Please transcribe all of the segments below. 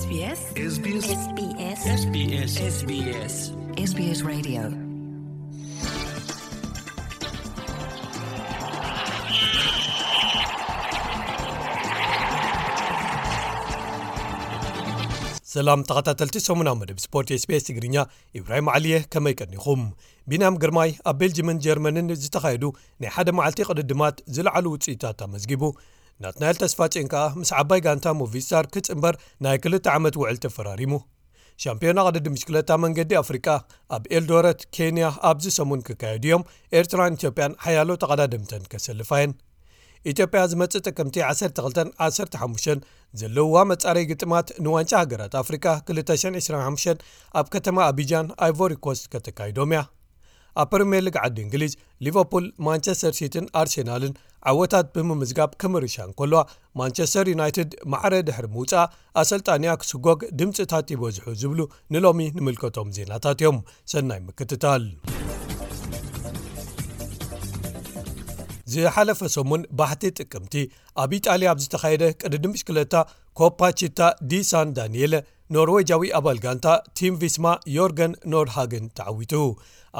SBS SBS SBS SBS SBS Radio. ሰላም ተኸታተልቲ ሰሙናዊ መደብ ስፖርት SBS ትግርኛ፣ ኢብራሂም ዓሊየ፣ ከመይ ቀኒኹም? ቢንያም ግርማይ ኣብ ቤልጅምን ጀርመንን ዝተኻየዱ ናይ ሓደ መዓልቲ ቅድድማት ዝለዓሉ ውፅኢታት ኣመዝጊቡ። ናትናኤል ተስፋጽዮን ከኣ ምስ ዓባይ ጋንታ ሞቪስታር ክጽንበር ናይ ክልተ ዓመት ውዕል ተፈራሪሙ። ሻምፒዮና ቅድድም ብሽክለታ መንገዲ ኣፍሪቃ ኣብ ኤልዶረት ኬንያ ኣብዚ ሰሙን ክካየዱ እዮም። ኤርትራን ኢትዮጵያን ሓያሎ ተቐዳደምተን ከሰልፋ እየን። ኢትዮጵያ ዝመጽእ ጥቅምቲ ዓሰርተ ክልተን ዓሰርተ ሓሙሽተን ዘለውዋ መጻረይ ግጥማት ንዋንጫ ሃገራት ኣፍሪቃ ክልተ ሽሕን ዕስራን ሓሙሽተን ኣብ ከተማ ኣቢጃን ኣይቮሪ ኮስት ከተካይዶም እያ። ኣብ ፕሪምየር ሊግ ዓዲ እንግሊዝ ሊቨርፑል፣ ማንቸስተር ሲቲን ኣርሴናልን ዓወታት ብምምዝጋብ ክምርሻ እንከለዋ፣ ማንቸስተር ዩናይትድ ማዕረ ድሕሪ ምውጻእ ኣሰልጣኒኣ ክስጎግ ድምጽታት ይበዝሑ ዝብሉ ንሎሚ ንምልከቶም ዜናታት እዮም። ሰናይ ምክትታል። ዝሓለፈ ሰሙን ባሕቲ ጥቅምቲ ኣብ ኢጣልያ ኣብ ዝተኻየደ ቅድድም ብሽክለታ ኮፓ ቺታ ዲ ሳን ዳኒኤለ፣ ኖርዌጃዊ ኣባል ጋንታ ቲም ቪስማ ዮርገን ኖርሃገን ተዓዊቱ።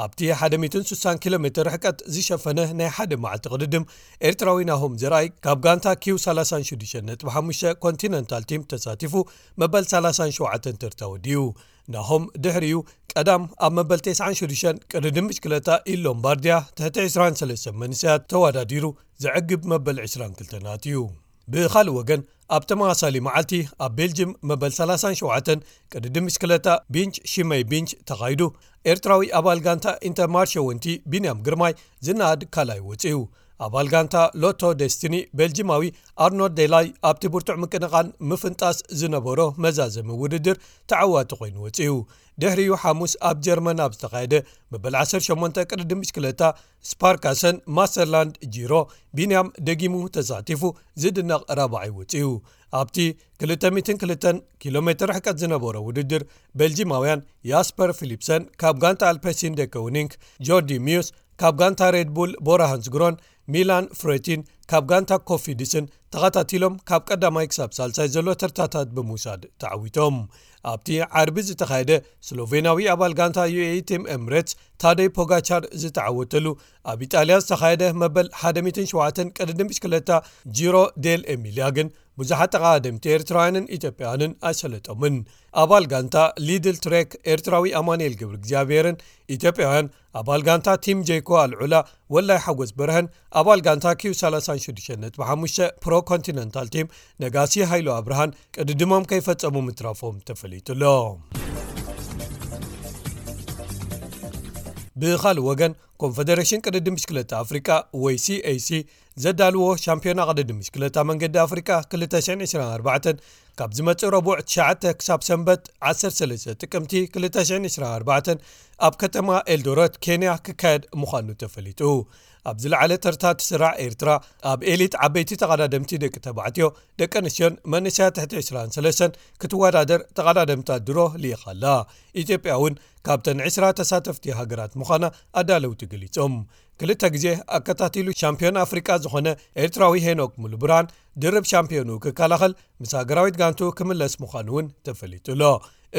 ኣብቲ ሓደ ሚእትን ስሳን ኪሎ ሜትር ርሕቀት ዝሸፈነ ናይ ሓደ መዓልቲ ቅድድም፣ ኤርትራዊ ናሆም ዘርኣይ ካብ ጋንታ ኪው ሰላሳን ሽዱሽተን ነጥቢ ሓሙሽተ ኮንቲነንታል ቲም ተሳቲፉ መበል ሰላሳን ሸውዓተን ተርታ ወዲኡ። ናሆም ድሕሪኡ ቀዳም ኣብ መበል ተስዓን ሽዱሽተን ቅድድም ብሽክለታ ኢል ሎምባርድያ ትሕቲ ዕስራን ሰለስተን መንእሰያት ተወዳዲሩ ዘዕግብ መበል ዕስራን ክልተን ኣትዩ። ብኻልእ ወገን፣ ኣብ ተመሳሳሊ መዓልቲ ኣብ ቤልጅም መበል ሰላሳን ሸውዓተን ቅድድም ብሽክለታ ቢንች ሽመይ ቢንች ተኻይዱ። ኤርትራዊ ኣባል ጋንታ ኢንተርማርሸ ወንቲ ቢንያም ግርማይ ዝነኣድ ካልኣይ ወጺኡ። ኣባል ጋንታ ሎቶ ደስቲኒ ቤልጅማዊ ኣርኖልድ ዴላይ ኣብቲ ብርቱዕ ምቅንቓን ምፍንጣስ ዝነበሮ መዛዘሚ ውድድር ተዓዋቲ ኮይኑ ወጺኡ። ድሕሪኡ ሓሙስ ኣብ ጀርመን ኣብ ዝተኻየደ መበል ዓሰርተ ሸሞንተ ቅድድም ብሽክለታ ስፓርካሰን ማስተርላንድ ጂሮ ቢንያም ደጊሙ ተሳቲፉ ዝድነቕ ራብዓይ ወጺኡ። ኣብቲ ክልተ ሚእትን ክልተን ኪሎ ሜትር ርሕቀት ዝነበሮ ውድድር፣ ቤልጂማውያን ያስፐር ፊሊፕሰን ካብ ጋንታ ኣልፐሲን ደከውኒንክ፣ ጆርዲ ሚዩስ ካብ ጋንታ ሬድ ቡል ቦራ ሃንስግሮን ሚላን ፍሬቲን ካብ ጋንታ ኮፊዲስን ተኸታቲሎም ካብ ቀዳማይ ክሳብ ሳልሳይ ዘሎ ተርታታት ብምውሳድ ተዓዊቶም። ኣብቲ ዓርቢ ዝተኻየደ ስሎቬናዊ ኣባል ጋንታ ዩ ኤ ኢ ቲም ኤምሬትስ ታደይ ፖጋቻር ዝተዓወተሉ ኣብ ኢጣልያ ዝተኻየደ መበል ሓደ ሚእትን ሸውዓተን ቅድድም ብሽክለታ ጂሮ ዴል ኤሚሊያ ግን ብዙሓት ተቐዳደምቲ ኤርትራውያንን ኢትዮጵያውያንን ኣይሰለጦምን። ኣባል ጋንታ ሊድል ትሬክ ኤርትራዊ ኣማኑኤል ገብረ እግዚኣብሔርን ኢትዮጵያውያን ኣባል ጋንታ ቲም ጄይኮ ኣልዑላ ወላይ ሓጎስ በርሀን ኣባል ጋንታ ኪው ሰላሳን ሽዱሽተን ነጥቢ ሓሙሽተ ፕሮ ኮንቲነንታል ቲም ነጋሲ ሃይሉ ኣብርሃን ቅድድሞም ከይፈጸሙ ምትራፎም ተፈሊጡ ኣሎ። ብኻልእ ወገን፣ ኮንፈደሬሽን ቅድድም ብሽክለታ ኣፍሪቃ ወይ ሲ ኤ ሲ ዘዳልዎ ሻምፒዮና ቅድድም ብሽክለታ መንገዲ ኣፍሪቃ ክልተ ሽሕን ዕስራን ኣርባዕተን ካብ ዝመጽእ ረቡዕ ትሽዓተ ክሳብ ሰንበት ዓሰርተ ሰለስተ ጥቅምቲ ክልተ ሽሕን ዕስራን ኣርባዕተን ኣብ ከተማ ኤልዶረት ኬንያ ክካየድ ምዃኑ ተፈሊጡ። ኣብ ዝለዓለ ተርታ ትስራዕ ኤርትራ ኣብ ኤሊት ዓበይቲ ተቐዳደምቲ ደቂ ተባዕትዮ፣ ደቂ ኣንስትዮን መንእሰያት ትሕቲ ዕስራን ሰለስተን ክትወዳደር ተቐዳደምታ ድሮ ልኢኻ ኣላ። ኢትዮጵያ እውን ካብተን ዕስራ ተሳተፍቲ ሃገራት ምዃና ኣዳለውቲ ገሊጾም። ክልተ ግዜ ኣከታቲሉ ሻምፒዮን ኣፍሪቃ ዝኾነ ኤርትራዊ ሄኖክ ሙሉብርሃን ድርብ ሻምፒዮኑ ክከላኸል ምስ ሃገራዊት ጋንቱ ክምለስ ምዃኑ እውን ተፈሊጡ ኣሎ።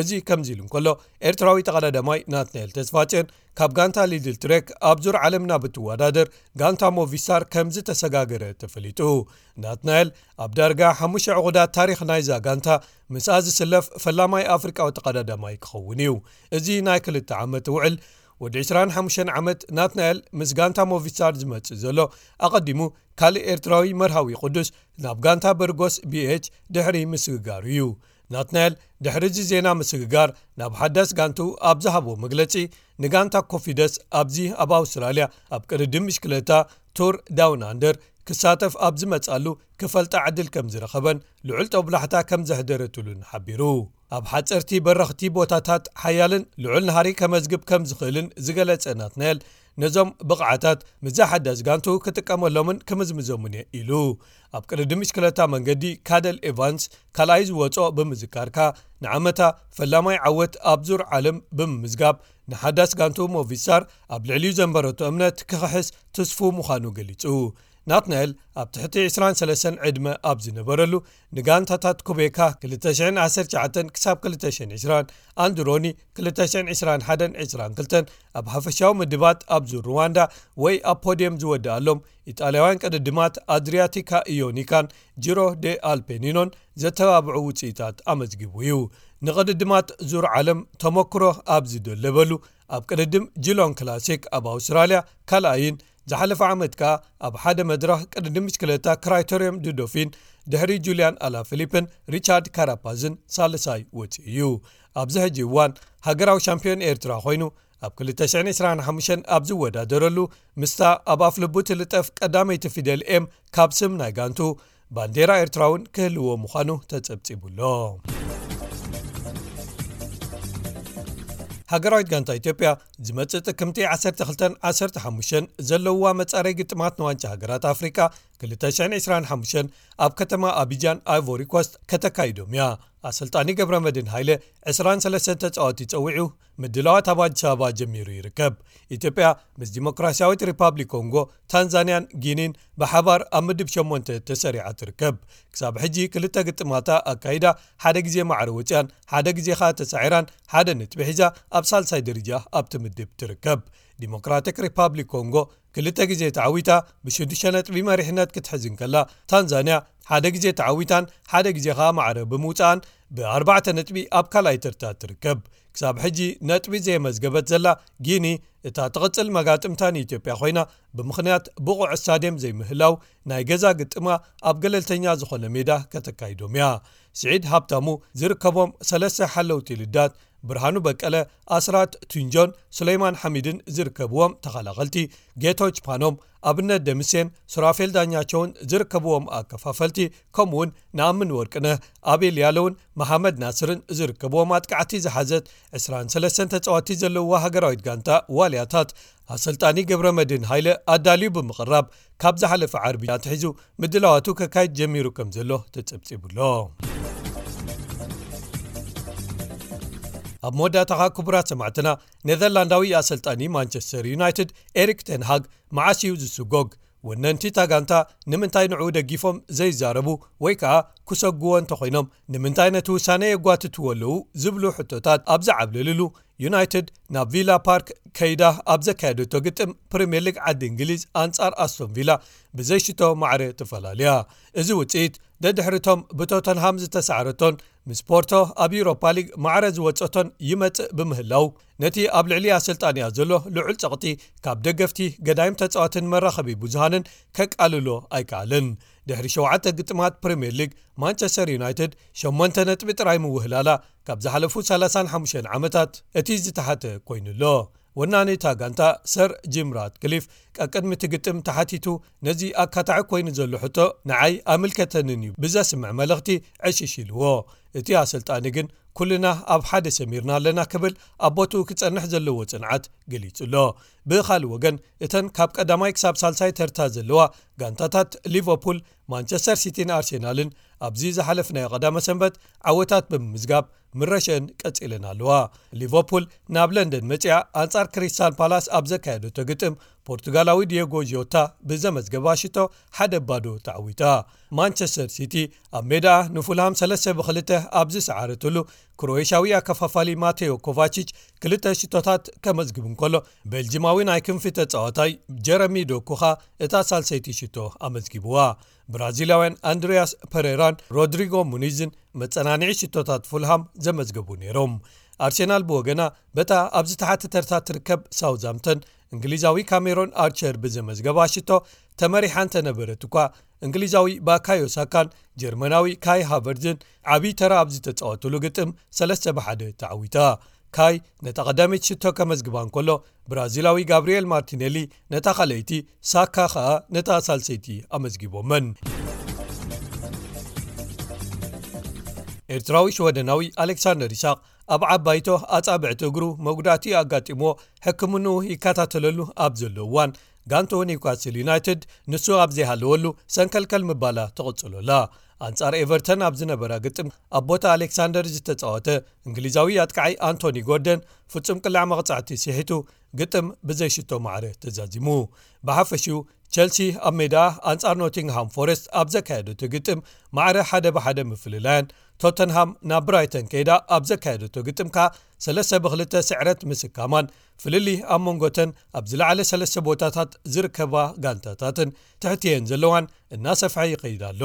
እዚ ከምዚ ኢሉ እንከሎ፣ ኤርትራዊ ተቐዳዳማይ ናትናኤል ተስፋጽዮን ካብ ጋንታ ሊድል ትሬክ ኣብ ዙር ዓለም ናብ እትወዳደር ጋንታ ሞቪስታር ከም ዝተሰጋገረ ተፈሊጡ። ናትናኤል ኣብ ዳርጋ ሓሙሽተ ዕቑዳት ታሪኽ ናይዛ ጋንታ ምስኣ ዝስለፍ ፈላማይ ኣፍሪቃዊ ተቐዳዳማይ ክኸውን እዩ። እዚ ናይ ክልተ ዓመት ውዕል ወዲ ዕስራን ሓሙሽተን ዓመት ናትናኤል ምስ ጋንታ ሞቪስታር ዝመጽእ ዘሎ፣ ኣቐዲሙ ካልእ ኤርትራዊ መርሃዊ ቅዱስ ናብ ጋንታ በርጎስ ቢ ኤች ድሕሪ ምስግጋሩ እዩ። ናትናኤል ድሕሪ እዚ ዜና ምስግጋር ናብ ሓዳስ ጋንቱ ኣብ ዝሃቦ መግለጺ፣ ንጋንታ ኮፊደስ ኣብዚ ኣብ ኣውስትራልያ ኣብ ቅድድም ብሽክለታ ቱር ዳውን ኣንደር ክሳተፍ ኣብ ዝመጻሉ ክፈልጣ ዕድል ከም ዝረኸበን ልዑል ጦብላሕታ ከም ዘሕደረትሉን ሓቢሩ። ኣብ ሓጸርቲ በረኽቲ ቦታታት ሓያልን ልዑል ናህሪ ከመዝግብ ከም ዝኽእልን ዝገለጸ ናትናኤል፣ ነዞም ብቕዓታት ምስዛ ሓዳስ ጋንቱ ክጥቀመሎምን ክምዝምዞምን እየ ኢሉ። ኣብ ቅድድም ብሽክለታ መንገዲ ካደል ኤቫንስ ካልኣይ ዝወጾ ብምዝካርካ፣ ንዓመታ ፈላማይ ዓወት ኣብ ዙር ዓለም ብምምዝጋብ፣ ንሓዳስ ጋንቱ ሞቪስታር ኣብ ልዕሊኡ ዘንበረቶ እምነት ክኽሕስ ትስፉ ምዃኑ ገሊጹ። ናትናኤል ኣብ ትሕቲ ዕስራን ሰለስተን ዕድመ ኣብ ዝነበረሉ፣ ንጋንታታት ኩቤካ ክልተ ሽሕን ዓሰርተ ትሽዓተን ክሳብ ክልተ ሽሕን ዕስራን፣ ኣንድሮኒ ክልተ ሽሕን ዕስራን ሓደን ዕስራን ክልተን ኣብ ሓፈሻዊ ምድባት ኣብ ዙር ሩዋንዳ ወይ ኣብ ፖድየም ዝወደኣሎም ኢጣልያውያን ቅድድማት ኣድሪያቲካ ኢዮኒካን ጂሮ ዴ ኣልፔኒኖን ዘተባብዑ ውፅኢታት ኣመዝጊቡ እዩ። ንቅድድማት ዙር ዓለም ተመክሮ ኣብ ዝደለበሉ፣ ኣብ ቅድድም ጂሎን ክላሲክ ኣብ ኣውስትራልያ ካልኣይን፣ ዝሓለፈ ዓመት ከኣ ኣብ ሓደ መድረኽ ቅድድም ብሽክለታ ክራይቶርየም ዱዶፊን ድሕሪ ጁልያን ኣላፊሊፕን ሪቻርድ ካራፓዝን ሳልሳይ ወፂኡ እዩ። ኣብዚ ሕጂ እዋን ሃገራዊ ሻምፒዮን ኤርትራ ኮይኑ፣ ኣብ ክልተ ሽሕን ዕስራን ሓሙሽተን ኣብ ዝወዳደረሉ፣ ምስታ ኣብ ኣፍልቡ ትልጠፍ ቀዳመይቲ ፊደል ኤም ካብ ስም ናይ ጋንቱ፣ ባንዴራ ኤርትራ እውን ክህልዎ ምዃኑ ተጸብጺቡ ኣሎ። ሃገራዊት ጋንታ ኢትዮጵያ ዝመጽእ ጥቅምቲ ዓሰርተ ክልተን ዓሰርተ ሓሙሽተን ዘለውዋ መጻረይ ግጥማት ንዋንጫ ሃገራት ኣፍሪቃ ክልተ ሽሕን ዕስራን ሓሙሽተን ኣብ ከተማ ኣቢጃን ኣይቮሪ ኮስት ከተካይዶም እያ። ኣሰልጣኒ ገብረመድህን ሃይለ ዕስራን ሰለስተን ተጻወቲ ጸዊዑ ምድላዋት ኣብ ኣዲስ ኣበባ ጀሚሩ ይርከብ። ኢትዮጵያ ምስ ዲሞክራሲያዊት ሪፓብሊክ ኮንጎ፣ ታንዛንያን ጊኒን ብሓባር ኣብ ምድብ ሸሞንተ ተሰሪዓ ትርከብ። ክሳብ ሕጂ ክልተ ግጥማታ ኣካይዳ፣ ሓደ ግዜ ማዕረ ወፂኣን፣ ሓደ ግዜ ኸኣ ተሳዒራን፣ ሓደ ነጥቢ ሒዛ ኣብ ሳልሳይ ደረጃ ኣብቲ ምድብ ትርከብ። ዲሞክራቲክ ሪፓብሊክ ኮንጎ ክልተ ግዜ ተዓዊታ ብሽዱሽተ ነጥቢ መሪሕነት ክትሕዝ እንከላ፣ ታንዛንያ ሓደ ግዜ ተዓዊታን ሓደ ግዜ ኸኣ ማዕረ ብምውፅኣን ብኣርባዕተ ነጥቢ ኣብ ካልኣይ ተርታ ትርከብ። ክሳብ ሕጂ ነጥቢ ዘየመዝገበት ዘላ ጊኒ፣ እታ ትቕጽል መጋጥምታ ንኢትዮጵያ ኮይና፣ ብምኽንያት ብቑዕ ስታድየም ዘይምህላው ናይ ገዛ ግጥማ ኣብ ገለልተኛ ዝኾነ ሜዳ ከተካይዶም እያ። ስዒድ ሃብታሙ ዝርከቦም ሰለስተ ሓለውቲ ልዳት፣ ብርሃኑ በቀለ፣ ኣስራት ቱንጆን ሱለይማን ሓሚድን ዝርከብዎም ተኸላኸልቲ፣ ጌቶች ፓኖም፣ ኣብነት ደምሴን ሱራፌል ዳኛቸውን ዝርከብዎም ኣከፋፈልቲ፣ ከምኡውን ንኣምን ወርቅነህ፣ ኣቤል ያለውን መሓመድ ናስርን ዝርከብዎም ኣጥቃዕቲ ዝሓዘት ዕስራን ሰለስተን ተጻወትቲ ዘለውዋ ሃገራዊት ጋንታ ዋልያታት፣ ኣሰልጣኒ ገብረመድህን ሃይለ ኣዳልዩ ብምቕራብ፣ ካብ ዝሓለፈ ዓርቢ ኣትሒዙ ምድላዋቱ ከካይድ ጀሚሩ ከም ዘሎ ተጸብጺቡ ኣሎ። ኣብ መወዳእታኻ ክቡራት ሰማዕትና፣ ኔዘርላንዳዊ ኣሰልጣኒ ማንቸስተር ዩናይትድ ኤሪክ ቴን ሃግ መዓስ እዩ ዝስጎግ? ወነንቲ እታ ጋንታ ንምንታይ ንዕኡ ደጊፎም ዘይዛረቡ ወይ ከኣ ክሰጉዎ እንተኾይኖም ንምንታይ ነቲ ውሳነ የጓትትዎ ኣለዉ ዝብሉ ሕቶታት ኣብ ዝዓብለልሉ፣ ዩናይትድ ናብ ቪላ ፓርክ ከይዳ ኣብ ዘካየደቶ ግጥም ፕሪምየር ሊግ ዓዲ እንግሊዝ ኣንጻር ኣስቶን ቪላ ብዘይሽቶ ማዕረ ተፈላልያ። እዚ ውጽኢት ደድሕሪቶም ብቶተንሃም ዝተሳዕረቶን ምስ ፖርቶ ኣብ ዩሮፓ ሊግ ማዕረ ዝወጸቶን ይመጽእ ብምህላው፣ ነቲ ኣብ ልዕሊ ኣሰልጣኒኣ ዘሎ ልዑል ጸቕጢ ካብ ደገፍቲ፣ ገዳይም ተጻዋትን መራኸቢ ብዙሃንን ከቃልሎ ኣይከኣልን። ድሕሪ ሸውዓተ ግጥማት ፕሪምየር ሊግ፣ ማንቸስተር ዩናይትድ ሸሞንተ ነጥቢ ጥራይ ምውህላላ ካብ ዝሓለፉ ሰላሳን ሓሙሽተን ዓመታት እቲ ዝተሓተ ኮይኑ ኣሎ። ወናኒ እታ ጋንታ ሰር ጂም ራትክሊፍ ቀቅድሚ እቲ ግጥም ተሓቲቱ፣ ነዚ ኣካታዒ ኮይኑ ዘሎ ሕቶ ንዓይ ኣምልከተንን እዩ ብዘስምዕ መልእኽቲ ዕሽሽ ኢልዎ። እቲ ኣሰልጣኒ ግን ኩልና ኣብ ሓደ ሰሚርና ኣለና ክብል ኣብ ቦትኡ ክጸንሕ ዘለዎ ጽንዓት ገሊጹ ኣሎ። ብኻልእ ወገን፣ እተን ካብ ቀዳማይ ክሳብ ሳልሳይ ተርታ ዘለዋ ጋንታታት ሊቨርፑል፣ ማንቸስተር ሲቲን ኣርሴናልን ኣብዚ ዝሓለፍናዮ ቀዳመ ሰንበት ዓወታት ብምምዝጋብ ምረሸን ቀጺለን ኣለዋ። ሊቨርፑል ናብ ለንደን መጺኣ ኣንጻር ክሪስታል ፓላስ ኣብ ዘካየደቶ ግጥም ፖርቱጋላዊ ዲየጎ ጆታ ብዘመዝገባ ሽቶ ሓደ ባዶ ተዓዊታ። ማንቸስተር ሲቲ ኣብ ሜዳ ንፉልሃም ሰለስተ ብኽልተ ኣብ ዝሰዓረትሉ፣ ክሮኤሽያዊ ኣከፋፋሊ ማቴዮ ኮቫቺች ክልተ ሽቶታት ከመዝግብ እንከሎ፣ ቤልጂማዊ ናይ ክንፊ ተጻዋታይ ጀረሚ ዶኩኻ እታ ሳልሰይቲ ሽቶ ኣመዝጊብዋ። ብራዚላውያን ኣንድሪያስ ፐሬራን ሮድሪጎ ሙኒዝን መጸናንዒ ሽቶታት ፉልሃም ዘመዝገቡ ነይሮም። ኣርሴናል ብወገና፣ በታ ኣብ ዝተሓተ ተርታ ትርከብ ሳውዝሃምተን፣ እንግሊዛዊ ካሜሮን ኣርቸር ብዘመዝገባ ሽቶ ተመሪሓ እንተነበረት እኳ፣ እንግሊዛዊ ባካዮ ሳካን ጀርመናዊ ካይ ሃቨርዝን ዓቢ ተራ ኣብ ዝተጻወቱሉ ግጥም ሰለስተ ብሓደ ተዓዊታ። ካይ ነታ ቀዳመይቲ ሽቶ ከመዝግባ እንከሎ፣ ብራዚላዊ ጋብሪኤል ማርቲኔሊ ነታ ካልኣይቲ፣ ሳካ ኸኣ ነታ ሳልሰይቲ ኣመዝጊቦመን። ኤርትራዊ ሽወደናዊ ኣሌክሳንደር ይስሐቅ ኣብ ዓባይቶ ኣጻብዕቲ እግሩ መጉዳእቲ ኣጋጢምዎ ሕክምንኡ ይከታተለሉ ኣብ ዘሎ እዋን፣ ጋንቶ ኒውካስል ዩናይትድ ንሱ ኣብ ዘይሃለወሉ ሰንከልከል ምባላ ትቕጽሎ ኣላ። ኣንጻር ኤቨርተን ኣብ ዝነበራ ግጥም ኣብ ቦታ ኣሌክሳንደር ዝተጻወተ እንግሊዛዊ ኣጥቃዓይ ኣንቶኒ ጎርደን ፍጹም ቅላዕ መቕጻዕቲ ስሒቱ ግጥም ብዘይሽቶ ማዕረ ተዛዚሙ። ብሓፈሽኡ ቸልሲ ኣብ ሜዳ ኣንጻር ኖቲንግሃም ፎረስት ኣብ ዘካየደቶ ግጥም ማዕረ ሓደ ብሓደ ምፍልላያን፣ ቶተንሃም ናብ ብራይተን ከይዳ ኣብ ዘካየደቶ ግጥም ከኣ ሰለስተ ብክልተ ስዕረት ምስካማን፣ ፍልልይ ኣብ መንጎተን ኣብ ዝለዓለ ሰለስተ ቦታታት ዝርከባ ጋንታታትን ትሕቲየን ዘለዋን እናሰፍሐ ይኸይድ ኣሎ።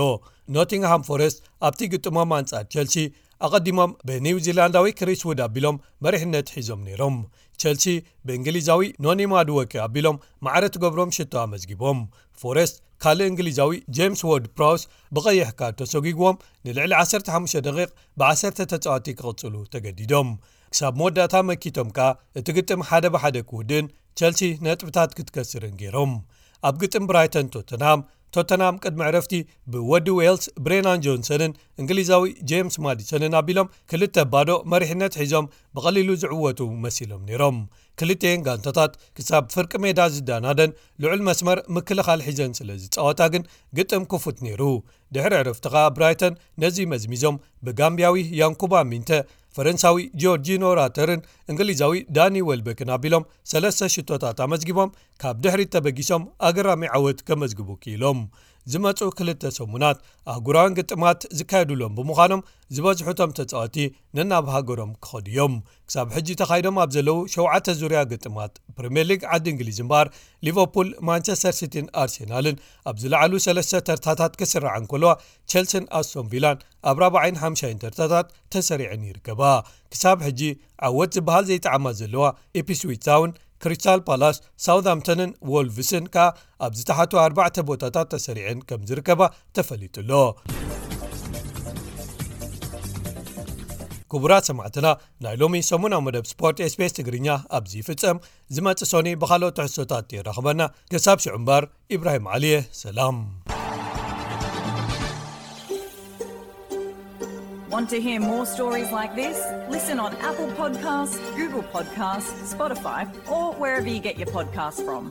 ኖቲንግሃም ፎረስት ኣብቲ ግጥሞም ኣንጻር ቸልሲ ኣቐዲሞም ብኒውዚላንዳዊ ክሪስ ውድ ኣቢሎም መሪሕነት ሒዞም ነይሮም። ቸልሲ ብእንግሊዛዊ ኖኒ ማድወኪ ኣቢሎም ማዕረ ትገብሮም ሽቶ ኣመዝጊቦም። ፎረስት ካልእ እንግሊዛዊ ጄምስ ዎርድ ፕራውስ ብቐይሕ ካርድ ተሰጒግዎም ንልዕሊ ዓሰርተ ሓሙሽተ ደቂቕ ብዓሰርተ ተጻወቲ ክቕጽሉ ተገዲዶም። ክሳብ መወዳእታ መኪቶም ከኣ እቲ ግጥም ሓደ ብሓደ ክውድእን ቸልሲ ነጥብታት ክትከስርን ገይሮም። ኣብ ግጥም ብራይተን ቶተንሃም፣ ቶተንሃም ቅድሚ ዕረፍቲ ብወዲ ዌልስ ብሬናን ጆንሰንን እንግሊዛዊ ጄምስ ማዲሰንን ኣቢሎም ክልተ ባዶ መሪሕነት ሒዞም ብቐሊሉ ዝዕወቱ መሲሎም ነይሮም። ክልቲኤን ጋንታታት ክሳብ ፍርቂ ሜዳ ዝዳናደን ልዑል መስመር ምክልኻል ሒዘን ስለ ዝጻወታ ግን ግጥም ክፉት ነይሩ። ድሕሪ ዕረፍቲ ኸኣ ብራይተን ነዚ መዝሚዞም ብጋምብያዊ ያንኩባ ሚንተ፣ ፈረንሳዊ ጆርጂኖ ራተርን እንግሊዛዊ ዳኒ ዌልበክን ኣቢሎም ሰለስተ ሽቶታት ኣመዝጊቦም ካብ ድሕሪት ተበጊሶም ኣገራሚ ዓወት ከመዝግቡ ክኢሎም። ዝመጹ ክልተ ሰሙናት ኣህጉራውያን ግጥማት ዝካየዱሎም ብምዃኖም ዝበዝሑ እቶም ተጻወቲ ነናብ ሃገሮም ክኸዱ እዮም። ክሳብ ሕጂ ተኻይዶም ኣብ ዘለዉ ሸውዓተ ዙርያ ግጥማት ፕሪምየር ሊግ ዓዲ እንግሊዝ እምበኣር ሊቨርፑል፣ ማንቸስተር ሲቲን ኣርሴናልን ኣብ ዝለዓሉ ሰለስተ ተርታታት ክስርዓ እንከለዋ፣ ቸልሲን ኣስቶን ቪላን ኣብ ራብዓይን ሓምሻይን ተርታታት ተሰሪዐን ይርከባ። ክሳብ ሕጂ ዓወት ዝበሃል ዘይጠዓማ ዘለዋ ኢፕስዊች ታውን፣ ክሪስታል ፓላስ፣ ሳውዝሃምፕተንን ዎልቭስን ከኣ ኣብ ዝተሓቱ ኣርባዕተ ቦታታት ተሰሪዐን ከም ዝርከባ ተፈሊጡ ኣሎ። ክቡራት ሰማዕትና፣ ናይ ሎሚ ሰሙናዊ መደብ ስፖርት ኤስቢኤስ ትግርኛ ኣብዚ ይፍጸም። ዝመጽእ ሶኒ ብኻልኦት ትሕዝቶታት የራኽበና። ክሳብ ሽዑ እምበር፣ ኢብራሂም ዓሊየ፣ ሰላም። Want to hear more stories like this? Listen on Apple Podcasts, Google Podcasts, Spotify, or wherever you get your podcasts from.